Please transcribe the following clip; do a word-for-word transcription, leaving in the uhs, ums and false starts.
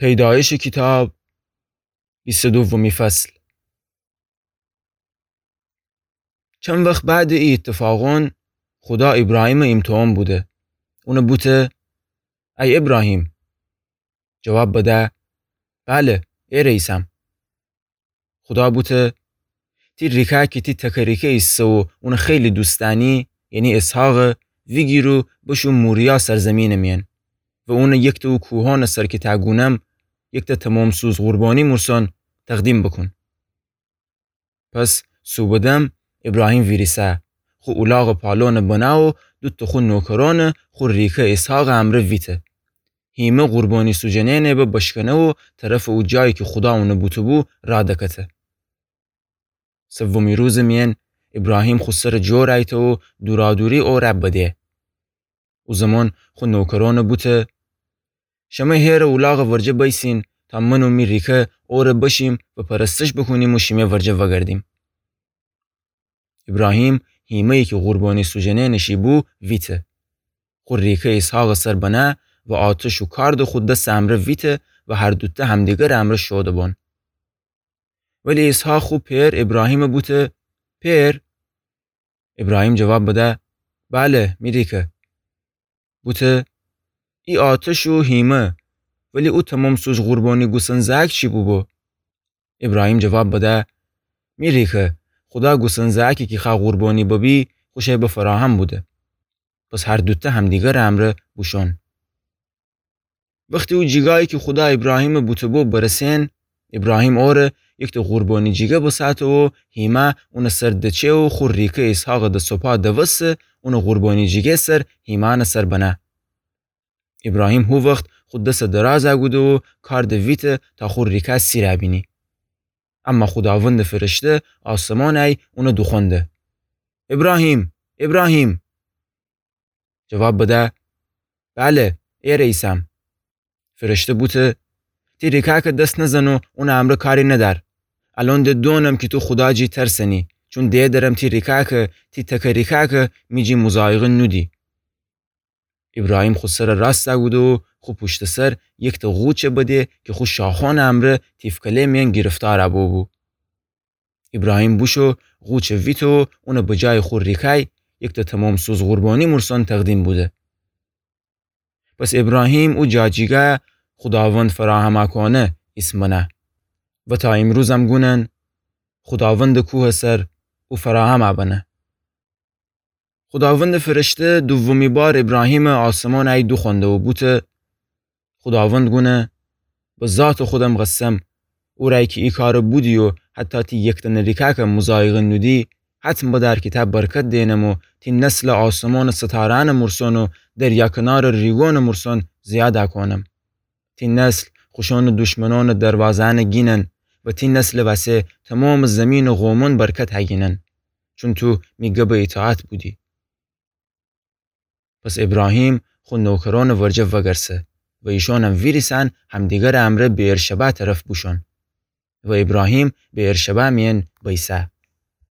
پیدایشٚ کیتاب، بیست و دومی فصل. چند وخت بعدٚ ای ایتفاقأن، خودا ایبراهیمٚ ایمتحان بوده. اونَ بوته: ای ایبراهیم! جواب بده: بله، ایره ایسم. خودا بوته: تی ریکه کی تی تکه ریکه ایسه و اونَ خیلی دوست دأنی، یعنی اسحاقَ، ویگیر و بشو موریا سرزیمینٚ میأن و اونَ یکتأ او کوهأنٚ سر کی تأ گونم، یکتأ تمام‌سوز قربانی مورسان تقدیم بوکون. پس صوبٚ دم ایبراهیم ویریسه، خو اولاغٚ پالونَ بنه و دوتأ خو نوکرأنَ خو ریکه اسحاقٚ امرأ ویته. هیمه قربانی سوجنأنَ به بشکنه و طرفٚ او جایی کی خودا اونَ بوته‌بو راه دکته. سومی روزٚ میأن ایبراهیم خو سرَ جور ایته و دورادوری اوره بده. او زمان خو نوکرأنَ بوته: شمه هیرٚ اولاغٚ ورجه بیسین تا من و می ریکه اوره بشیم و پرستش بوکونیم و شیمه ورجه وأگردیم. ایبراهیم هیمه‌یی کی قربانی سوجنأنٚ شی بو ویته. خو ریکه اسحاقٚ سر بنه و آتش و کارد خو دسٚ امرأ ویته و هر دوتأ همدیگرٚ امرأ شوده بون. ولی اسحاق خو پئر ایبراهیمَ بوته: پئر؟ ایبراهیم جواب بده: بله، می ریکه. بوته: ای آتش و هیمه، ولی او تمام‌سوز قربانی گوسن زأک چی بوبو؟ ایبراهیم جواب بده: می ریکه، خودا گوسن زأکی کی خوأ قربانی ببی، خوشَ به فراهم بوده. پس هر دوتأ همدیگرٚ امرأ بوشون. وختی او جیگایی کی خودا ایبراهیمَ بوته‌بو برسین، ایبراهیم اوره یکتأ قربانی جیگه بساته و هیمه اونٚ سر دچه و خو ریکه اسحاقَ د سوپا دوسته اونٚ قربانی جیگه سر هیمأنٚ سر بنه. ایبراهیم هو وخت خو دسَ دراز کوده و کارد ویته تا خو ریکه سیرَ بینی. اما خوداوندٚ فرشته آسمانٚ ای اونَ دوخوأنده: ایبراهیم! ایبراهیم! جواب بده: بله، ایرَ ایسم. فرشته بوته: تی ریکأکَ دس نزن و اونٚ امرأ کاری ندأر. الأن د دونم کی تو خودا جی ترسنی، چون دئدرم تی ریکأکَ، تی تکه ریکأکَ می جی مضایقه نودی. ایبراهیم خو سرَ راستَ کوده و خو پوشتٚ سر یکتأ غوچَ بده کی خو شاخأنٚ امرأ تیفکله میأن گیرفتارَ بوبو. ایبراهیم بوشو غوچَ ویته و اونَ به جایٚ خو ریکه‌ی یکتأ تمام‌سوز قربانی مورسان تقدیم بوده. پس ایبراهیم او جا جیگه خوداوند فراهمَ کونه ایسم بنه و تا ایمروزم گونن خوداوندٚ کوهٚ سر او فراهمَ بنه. خوداوندٚ فرشته دومی بار ایبراهیمَ آسمانٚ ای دوخوأنده و بوته: خوداوند گونه: به ذاتٚ خودم قسم، اورأیی کی ای کارَ بودی و حتی تی یکتأنٚ ریکأکَ مضایقه نودی، حتم بدأر کی تأ برکت دئنم و تی نسلَ آسمانٚ ستارأنٚ مورسان و دریا کنارٚ ریگأنٚ مورسان زیادَ کونم. تی نسل خوشأنٚ دشمنأنٚ دروازه‌یأنَ گینن و تی نسلٚ وسه تومامٚ زیمینٚ قومأن برکت هگینن، چون تو می گبٚ ایطاعت بودی. پس ایبراهیم خو نوکرأنٚ ورجه وگرسه و ایشأنم ویریسأن همدیگرٚ امرأ بئرشبع طرف بوشون. و ایبراهیم بئرشبع میأن بیسه.